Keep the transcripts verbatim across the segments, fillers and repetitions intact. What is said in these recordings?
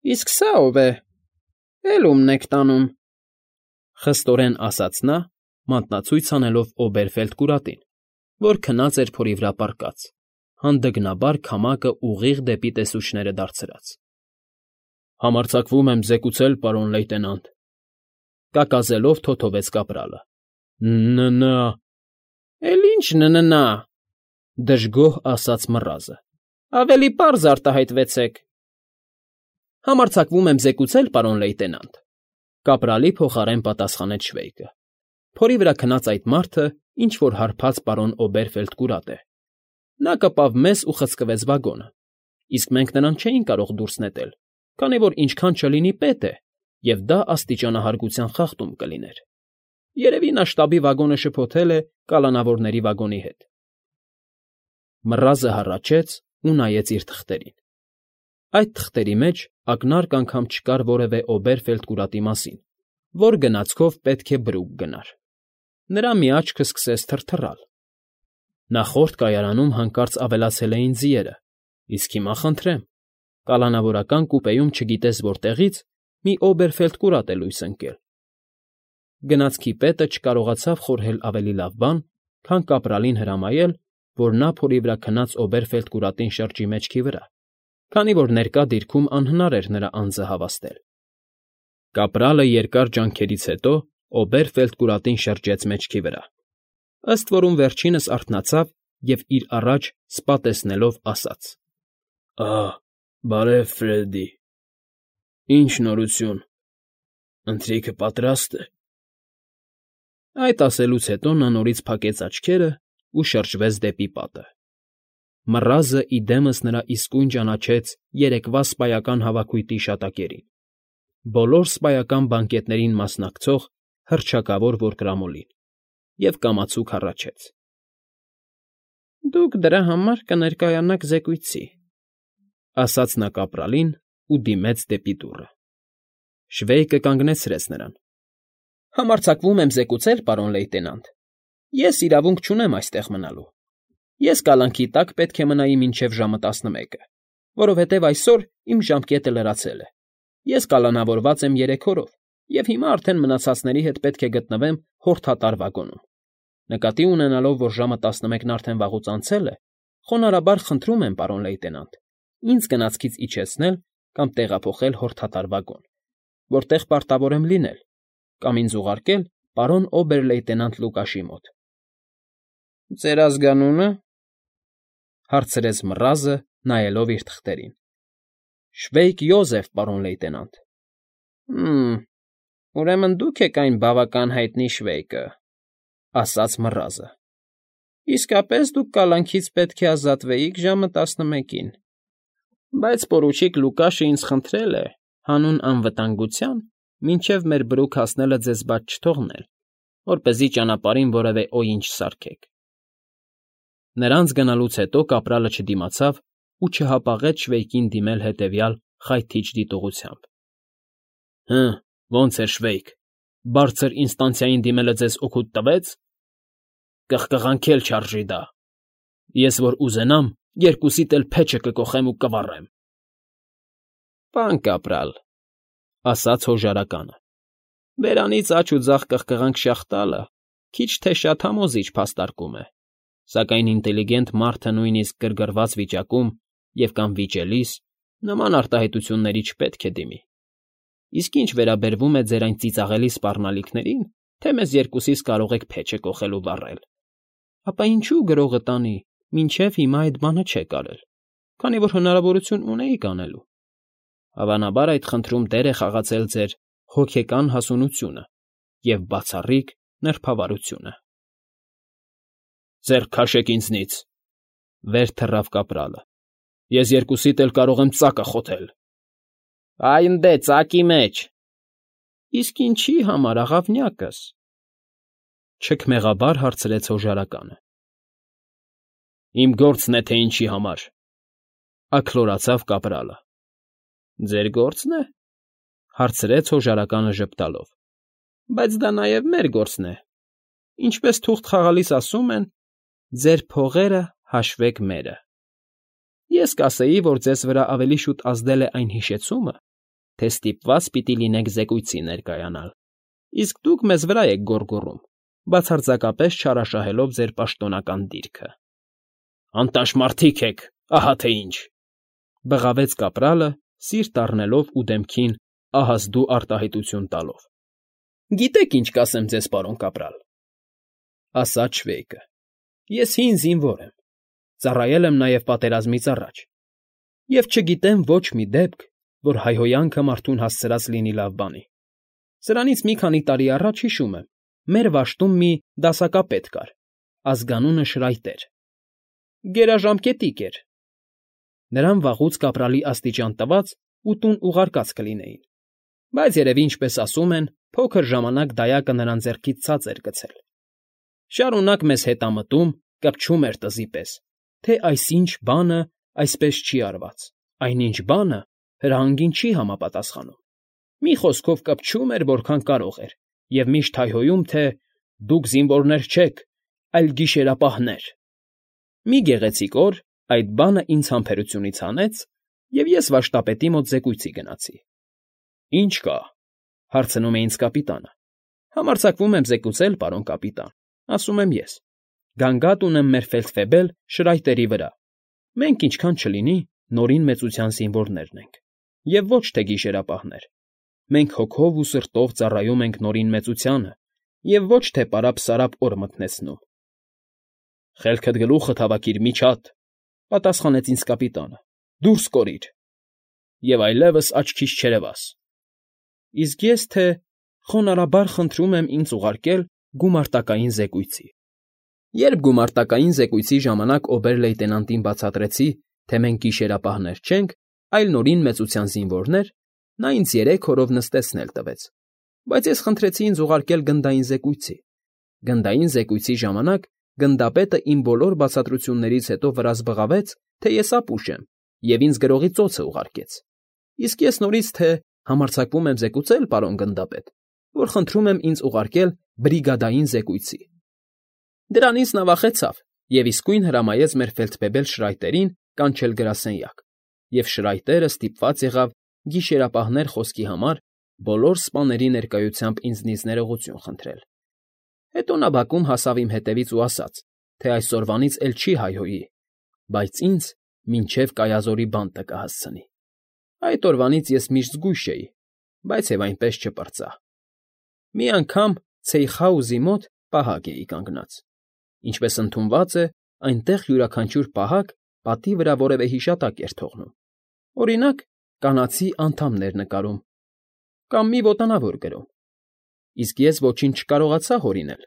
Իսկ սա ո՞վ է, էլ ում եք տանում,֊ խստորեն ասաց նա, մատնացույց անելով Օբերֆելդ կուրատին, որ քնած էր փորի վրա պառկած, հանդգնաբար քամակը ուղիղ դեպի տեսուչները դարձրած։ ֊ Համարձակվում եմ զեկուցել, պարոն լեյտենանտ,֊ կակազելով թոթովեց կապրալը։ ֊ Ն֊ն… Էլ ի՞նչ ն֊ն… դժգոհ ասաց մռազը։ Ավելի պարզ արտահայտվեցեք։ ֊ Համարձակվում եմ զեկուցել, պարոն լեյտենանտ,֊ կապրալի փոխարեն պատասխանեց Շվեյկը։ Փորի վրա քնած այդ մարդը ինչ֊որ հարբած պարոն Օբերֆելդ կուրատ է։ Նա կպավ մեզ ու խցկվեց վագոնը, իսկ մենք նրան չէինք կարող դուրս նետել, քանի որ ինչքան չլինի պետ է, և դա աստիճանահարգության խախտում կլիներ։ Երևի նա շտաբի վագոնը շփոթել է կալանավորների վագոնի հետ։ Մռազը հառաչեց ու նայեց իր թղթերին։ Այդ թղթերի մեջ ակնարկ անգամ չկար որևէ Օբերֆելդ կուրատի մասին, որ գնացքով պետք է բրուկ գնար։ Նրա մի աչքը սկսեց թրթռալ։ Նախորդ կայարանում հանկարծ ավելացել էին ձիերը, իսկ հիմա խնդրեմ, կալանավորական կուպեում չգիտես որտեղից մի Օբերֆելդ կուրատ է լույս ընկել։ Գնացքի պետը չկարողացավ խորհել ավելի լավ բան, քան կապրալին հրամայել, որ նա փորի վրա քնած Օբերֆելդ կուրատին շրջի մեջքի վրա, քանի որ ներկա դիրքում անհնար էր նրա անձը հավաստել։ Կապրալը երկար ջանքերից հետո Օբերֆելդ կուրատին շրջեց մեջքի վրա, ըստ որում վերջինս արթնացավ և իր առաջ սպա տեսնելով ասաց. Ահ, բարև, Ֆրեդի, ինչ նորություն, ընթրիքը պատրաստ է։ Այդ ասելուց հետո նա նորից փակեց աչքերը ու շրջվեց դեպի պատը։ Մռազը ի դեմս նրա իսկույն ճանաչեց երեկվա սպայական հավաքույթի շատակերին, բոլոր սպայական բանկետներին մասնակցող հռչակավոր որկրամոլին, և կամացուկ հառաչեց. Դուք դրա համար կներկայանաք զեկույցի, ասաց նա կապրալին ու դիմեց դեպի դուռը։ Շվեյկը կանգնեցրեց նրան։ Համարձակվում եմ զեկուցել, պարոն լեյտենանտ, ես իրավունք չունեմ այստեղ մնալու։ Ես կալանքի տակ պետք է մնայի մինչև ժամը տասնմեկը, որովհետև այսօր իմ ժամկետը լրացել է։ Ես կալանավորված եմ երեք օրով, և հիմա արդեն մնացածների հետ պետք է գտնվեմ հորդատար վագոնում։ Նկատի ունենալով, որ ժամը տասնմեկն արդեն վաղուց անցել է, խոնարհաբար խնդրում եմ, պարոն լեյտենանտ, ինձ գնացքից իջեցնել կամ տեղափոխել հորդատար վագոն, որտեղ պարտավոր եմ լինել, կամ ինձ ուղարկել պարոն օբեր֊լեյտենանտ Լուկաշի մոտ։ ֊ Ձեր ազգանո՞ւնը,֊ հարցրեց մռազը, նայելով իր թղթերին։ ֊ Շվեյկ Յոզեֆ, պարոն լեյտենանտ։ ֊ Հը՜մ, ուրեմն դուք եք այն բավական հայտնի Շվեյկը,֊ ասաց մռազը։ ֊ Իսկապես դուք կալանքից պետք է ազատվեիք ժամը տասնմեկին, բայց պորուչիկ Լուկաշը ինձ խնդրել է, հանուն անվտանգության, մինչև մեր բրուկ հասնելը ձեզ բաց չթողնել, որպեսզի ճանապարհին որևէ օինչ չսարքեք։ Նրանց գնալուց հետո կապրալը չդիմացավ ու չհապաղեց Շվեյկին դիմել հետևյալ խայթիչ դիտողությամբ. ֊ Հը, ո՞նց էր, Շվեյկ, բարձր ինստանցիային դիմելը ձեզ օգուտ տվեց։ Կղկղանքել չարժի դա։ Ես որ ուզենամ, երկուսիդ էլ փեչը կկոխեմ ու կվառեմ։ ֊ Պան կապրալ,֊ ասաց հոժարականը,֊ բերանից աջ ու ձախ կղկղանք շաղ տալը քիչ թե շատ համոզիչ փաստարկում է, սակայն ինտելիգենտ մարդը նույնիսկ գրգռված վիճակում և կամ վիճելիս նման արտահայտությունների չպետք է դիմի։ Իսկ ինչ վերաբերվում է ձեր այն ծիծաղելի սպառնալիքներին, թե մեզ երկուսիս կարող եք փեչը կոխել ու վառել, ապա ինչու գրողը տանի, մինչև հիմա այդ բանը չեք արել, քանի որ հնարավորություն ունեիք անելու։ Հավանաբար այդ խնդրում դեր է խաղացել ձեր հոգեկան հասունությունը և բացառիկ նրբավարությունը։ ֊ Ձեռք քաշեք ինձնից,֊ վեր թռավ կապրալը,֊ ես երկուսիդ էլ կարող եմ ծակը խոթել։ ֊ Այնդե ծակի մեջ։ ֊ Իսկ ինչի համար, աղավնյակս,֊ չքմեղաբար հարցրեց հոժարականը։ ֊ Իմ գործն է, թե ինչի համար,֊ աքլորացավ կապրալը։ ֊ Ձեր գործն է,֊ հարցրեց հոժարականը ժպտալով,֊ բայց դա նաև մեր գործն է։ Ինչպես թուղթ խաղալիս ասում են. ձեր փողերը հաշվեք մերը։ Ես կասեի, որ ձեզ վրա ավելի շուտ ազդել է այն հիշեցումը, թե ստիպված պիտի լինեք զեկույցի ներկայանալ, իսկ դուք մեզ վրա եք գոռգոռում, բացարձակապես չարաշահելով ձեր պաշտոնական դիրքը։ ֊ Անտաշ մարդիկ եք, ահա թե ինչ,֊ բղավեց կապրալը, սիրտ առնելով ու դեմքին ահազդու արտահայտություն տալով։ ֊ Գիտեք, ինչ կասեմ ձեզ, պարոն կապրալ,֊ ասաց Շվեյկը,֊ ես հին զինվոր եմ, ծառայել եմ նաև պատերազմից առաջ և չգիտեմ ոչ մի դեպք, որ հայհոյանքը մարդուն հասցրած լինի լավ բանի։ Սրանից մի քանի տարի առաջ, հիշում եմ, մեր վաշտում մի դասակապետ կար, ազգանունը Շրայտեր. գերաժամկետիկ էր։ Նրան վաղուց կապրալի աստիճան տված ու տուն ուղարկած կլինեին, բայց երևի, ինչպես ասում են, փոքր ժամանակ դայակը նրան ձեռքից ցած էր գցել։ Շարունակ մեզ հետամտում, կպչում էր տզի պես, թե այսինչ բանը այսպես չի արված, այնինչ բանը հրահանգին չի համապատասխանում։ Մի խոսքով կպչում էր, որքան կարող էր, և միշտ հայհոյում, թե «դուք զինվորներ չեք, այլ գիշերապահներ»։ Մի գեղեցիկ օր այդ բանը ինձ համբերությունից հանեց, և ես վշտապետի մոտ զեկույցի գնացի։ ֊ Ի՞նչ կա,֊ հարցնում է ինձ կապիտանը։ ֊ Համարձակվում եմ զեկուցել, պարոն կապիտան, ասում եմ ես. գանգատ ունեմ մեր ֆելդֆեբել Շրայտերի վրա։ Մենք, ինչքան չլինի, Նորին մեծության զինվորներն ենք, և ոչ թե գիշերապահներ։ Մենք հոգով ու սրտով ծառայում ենք Նորին մեծությանը և ոչ թե պարապ֊սարապ օր մթնեցնում։ ֊ Խելքդ գլուխդ հավաքիր, միջատ,֊ պատասխանեց ինձ կապիտանը,֊ դուրս կորիր… Եվ այլևս աչքիս չերևաս։ Իսկ ես թե խոնարհաբար խնդրում եմ ինձ ուղարկել գումարտակային զեկույցի։ Երբ գումարտակային զեկույցի ժամանակ օբեր֊լեյտենանտին բացատրեցի, թե մենք գիշերապահներ չենք, այլ Նորին մեծության զինվորներ, նա ինձ երեք օրով նստեցնել տվեց, բայց ես խնդրեցի ինձ ուղարկել գնդային զեկույցի։ Գնդային զեկույցի ժամանակ գնդապետը իմ բոլոր բացատրություններից հետո վրաս բղավեց, թե ես ապուշ եմ, և ինձ գրողի ծոցը ուղարկեց։ Իսկ ես նորից թե համարձակվում եմ զեկուցել, պարոն գնդապետ, որ խնդրում եմ ինձ ուղարկել բրիգադային զեկույցի։ Դրանից նա վախեցավ և իսկույն հրամայեց մեր ֆելդֆեբել Շրայտերին կանչել գրասենյակ, և Շրայտերը ստիպված եղավ գիշերապահներ խոսքի համար բոլոր սպաների ներկայությամբ ինձնից ներողություն խնդրել։ Հետո նա բակում հասավ իմ հետևից ու ասաց, թե այսօրվանից էլ չի հայհոյի, բայց ինձ մինչև կայազորի բանտը կհասցնի։ Այդ օրվանից ես միշտ զգույշ էի, բայց և այնպես չպրծա։ Մի անգամ Ցեյխաուզի մոտ պահակ էի կանգնած։ Ինչպես ընդունված է, այնտեղ յուրաքանչյուր պահակ պատի վրա որևէ հիշատակ էր թողնում, օրինակ, կանացի անդամներ նկարում կամ մի ոտանավոր գրում։ Իսկ ես ոչինչ չկարողացա հորինել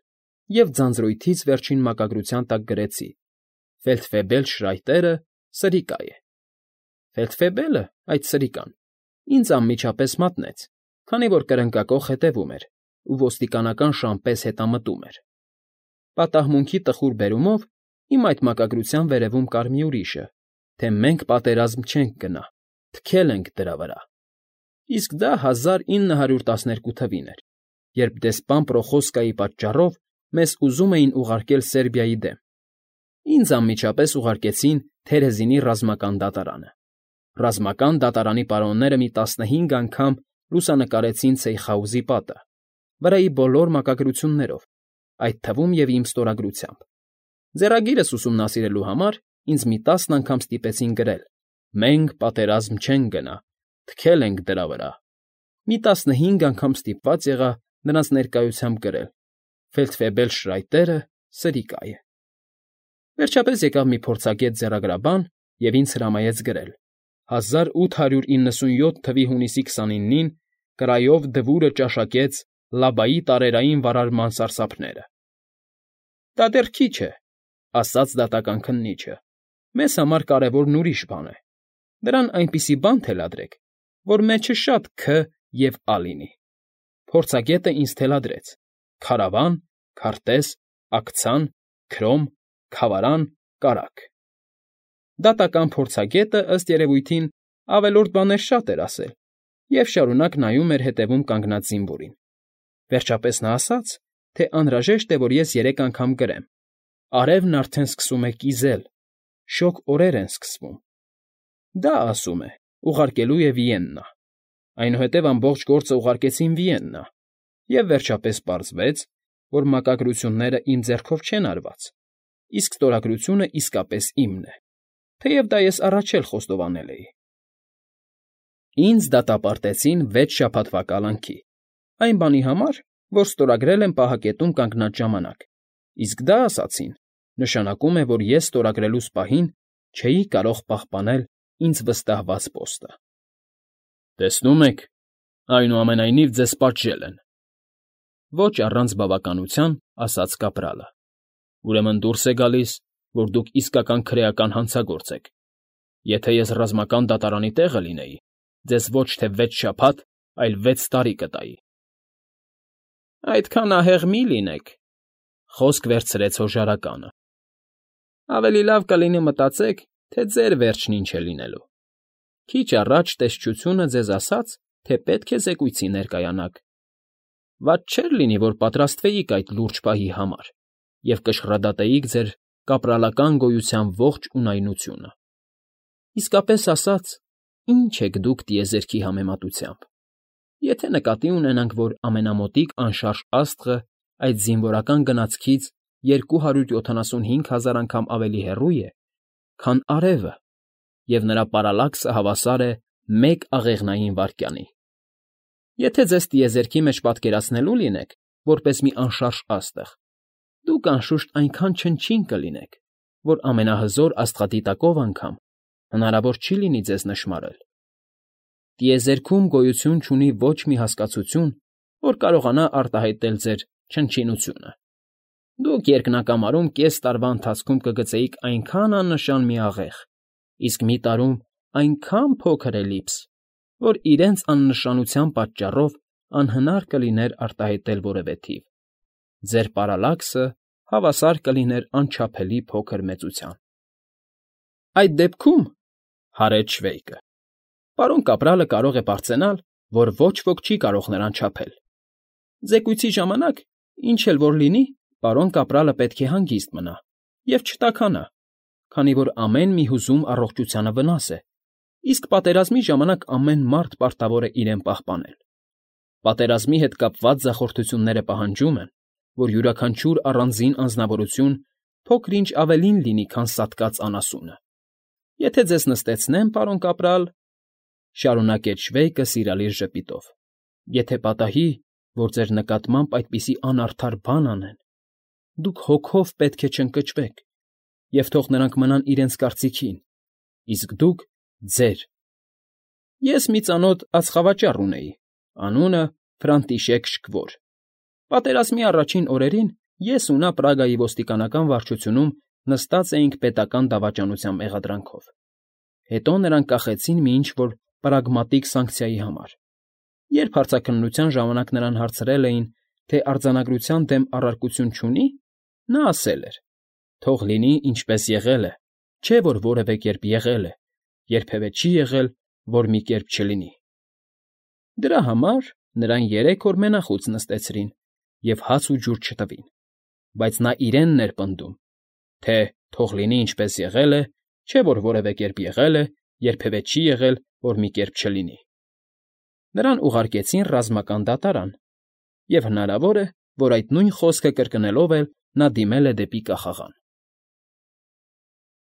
և ձանձրույթից վերջին մակագրության տակ գրեցի. «Ֆելդֆեբել Շրայտերը սրիկա է»։ Ֆելդֆեբելը, այդ սրիկան, ինձ անմիջապես մատնեց, քանի որ կրնկակոխ հետևում էր ու ոստիկանական շան պես հետամտում էր։ Պատահմունքի տխուր բերումով իմ այդ մակագրության վերևում կար մի ուրիշը, թե մենք պատերազմ չենք գնա, թքել ենք դրա վրա։ Իսկ դա հազար ինը հարյուր տասներկու թվին էր, երբ դեսպան Պրոխոսկայի պատճառով մեզ ուզում էին ուղարկել Սերբիայի դեմ։ Ինձ անմիջապես ուղարկեցին Թերեզինի ռազմական դատարանը։ Ռազմական դատարանի պարոնները մի տասնհինգ անգամ լուսանկարեցին Ցեյխաուզի պատը, վրայի բոլոր մակագրություններով, այդ թվում և իմ ստորագրությամբ։ Ձեռագիրս ուսումնասիրելու համար ինձ մի տասն անգամ ստիպեցին գրել. «Մենք պատերազմ չենք գնա, թքել ենք դրա վրա»։ Մի տասնհինգ անգամ ստիպված եղա նրանց ներկայությամբ գրել. «Ֆելդֆեբել Շրայտերը սրիկա է»։ Վերջապես եկավ մի փորձագետ ձեռագրաբան և ինձ հրամայեց գրել. «հազար ութ հարյուր իննսունյոթ թվականի հունիսի քսանինին կրայով Դվուրը ճաշակեց Լաբայի տարերային վարարման սարսափները»։ ֊ Դա դեռ քիչ է,֊ ասաց դատական քննիչը,֊ մեզ համար կարևորն ուրիշ բան է։ Դրան այնպիսի բան թելադրեք, որ մեջը շատ «Ք» և «Ա» լինի»։ Փորձագետը ինձ թելադրեց. «Քարավան, քարտեզ, աքցան, քրոմ, քավարան, կարագ»։ Դատական փորձագետը, ըստ երևույթին, ավելորդ բաներ շատ էր ասել և շարունակ նայում էր հետևում կանգնած զինվորին։ Վերջապես նա ասաց, թե անհրաժեշտ է, որ ես երեք անգամ գրեմ. «Արևն արդեն սկսում է կիզել, շոգ օրեր են սկսվում»։ Դա, ասում է, ուղարկելու է Վիեննա։ այնուհետև ամբողջ գործը ուղարկեցին Վիեննա, և վերջապես պարզվեց, որ մակագրությունները իմ ձեռքով չեն արված, իսկ ստորագրությունը իսկապես իմն է, թեև դա ես առաջ էլ խոստովանել էի։ Ինձ դատապարտեցին վեց շաբաթվա կալանքի, այն բանի համար, որ ստորագրել եմ պահակետում կանգնած ժամանակ, իսկ դա, ասացին, նշանակում է, որ ես ստորագրելուս պահին չէի կարող պահպանել ինձ վստահված պոստը։ Տեսնում եք, այնուամենայնիվ ձեզ պատժել են, ոչ առանց բավականության ասաց կապրալը։ Ուրեմն դուրս է գալիս, որ դուք իսկական քրեական հանցագործ եք։ Եթե ես ռազմական դատարանի տեղը լինեի, ձեզ ոչ թե վեց շաբաթ, այլ վեց տարի կտայի։ Այդքան ահեղ մի լինեք, խոսք վերցրեց հոժարականը։ Ավելի լավ կլինի մտածեք, թե ձեր վերջն ինչ է լինելու։ Քիչ առաջ տեսչությունը ձեզ ասաց, թե պետք է զեկույցի ներկայանաք։ Վատ չէր լինի, որ պատրաստվեիք այդ լուրջ պահի համար և կշռադատեիք ձեր կապրալական գոյության ողջ ունայնությունը։ Իսկապես ասած, ինչ եք դուք տիեզերքի համեմատությամբ։ Եթե նկատի ունենանք, որ ամենամոտիկ անշարժ աստղը այդ զինվորական գնացքից երկու հարյուր յոթանասունհինգ հազար անգամ ավելի հեռու է, քան արևը, և նրա պարալաքսը հավասար է մեկ աղեղնային վայրկյանի։ Եթե ձեզ տիեզերքի մեջ պատկերացնելու լինեք, որպես մի անշարժ աստղ, դուք անշուշտ այնքան չնչին կլինեք, որ ամենահզոր աստղադիտակով անգամ հնարավոր չի լինի ձեզ նշմարել։ Տիեզերքում գոյություն չունի ոչ մի հասկացություն, որ կարողանա արտահայտել ձեր չնչինությունը։ Դուք երկնակամարում կես տարվա ընթացքում կգծեիք այնքան աննշան մի աղեղ, իսկ մի տարում այնքան փոքր էլիպս, որ իրենց աննշանության պատճառով անհնար կլիներ արտահայտել որևէ թիվ։ Ձեր պարալաքսը հավասար կլիներ անչափելի փոքր մեծության։ Այդ դեպքում, հարեց Շվեյկը, պարոն կապրալը կարող է պարծենալ, որ ոչ ոք չի կարող նրան չափել։ Զեկույցի ժամանակ, ինչ էլ որ լինի, պարոն կապրալը պետք է հանգիստ մնա և չտաքանա, քանի որ ամեն մի հուզում առողջությանը վնաս է, իսկ պատերազմի ժամանակ ամեն մարդ պարտավոր է իրեն պահպանել։ Պատերազմի հետ կապված ձախորդությունները պահանջում են, որ յուրաքանչյուր առանձին անձնավորություն փոքր-ինչ ավելին լինի, քան սատկած անասունը։ Եթե ձեզ նստեցնեմ, պարոն կապրալ, շարունակեց Շվեյկը սիրալիր ժպիտով, եթե պատահի, որ ձեր նկատմամբ այդպիսի անարդար բան անեն, դուք հոգով պետք է չընկճվեք, և թող նրանք մնան իրենց կարծիքին, իսկ դուք՝ ձեր։ Ես մի ծանոթ ածխավաճառ ունեի, անունը Ֆրանտիշեկ Շկվոր։ Պատերազմի առաջին օրերին ես ու նա Պրագայի ոստիկանական վարչությունում նստած էինք պետական դավաճանության մեղադրանքով։ Հետո նրան կախեցին մի ինչ֊որ պրագմատիկ սանկցիայի համար։ Երբ հարցաքննության ժամանակ նրան հարցրել էին, թե արձանագրության դեմ առարկություն չունի, նա ասել էր. թող լինի, ինչպես եղել է, չէ՞ որ որևէ կերպ եղել է, երբևէ չի եղել, որ մի կերպ չլինի։ Դրա համար նրան երեք օր մենախոս նստեցրին և հաց ու ջուր չտվին, բայց նա իրենն էր պնդում, թե թող լինի, ինչպես եղել է, չէ՞ որ որևէ կերպ եղել է, երբևէ չի եղել, որ մի կերպ չլինի։ Նրան ուղարկեցին ռազմական դատարան, և հնարավոր է, որ այդ նույն խոսքը կրկնելով էլ նա դիմել է դեպի կախաղան։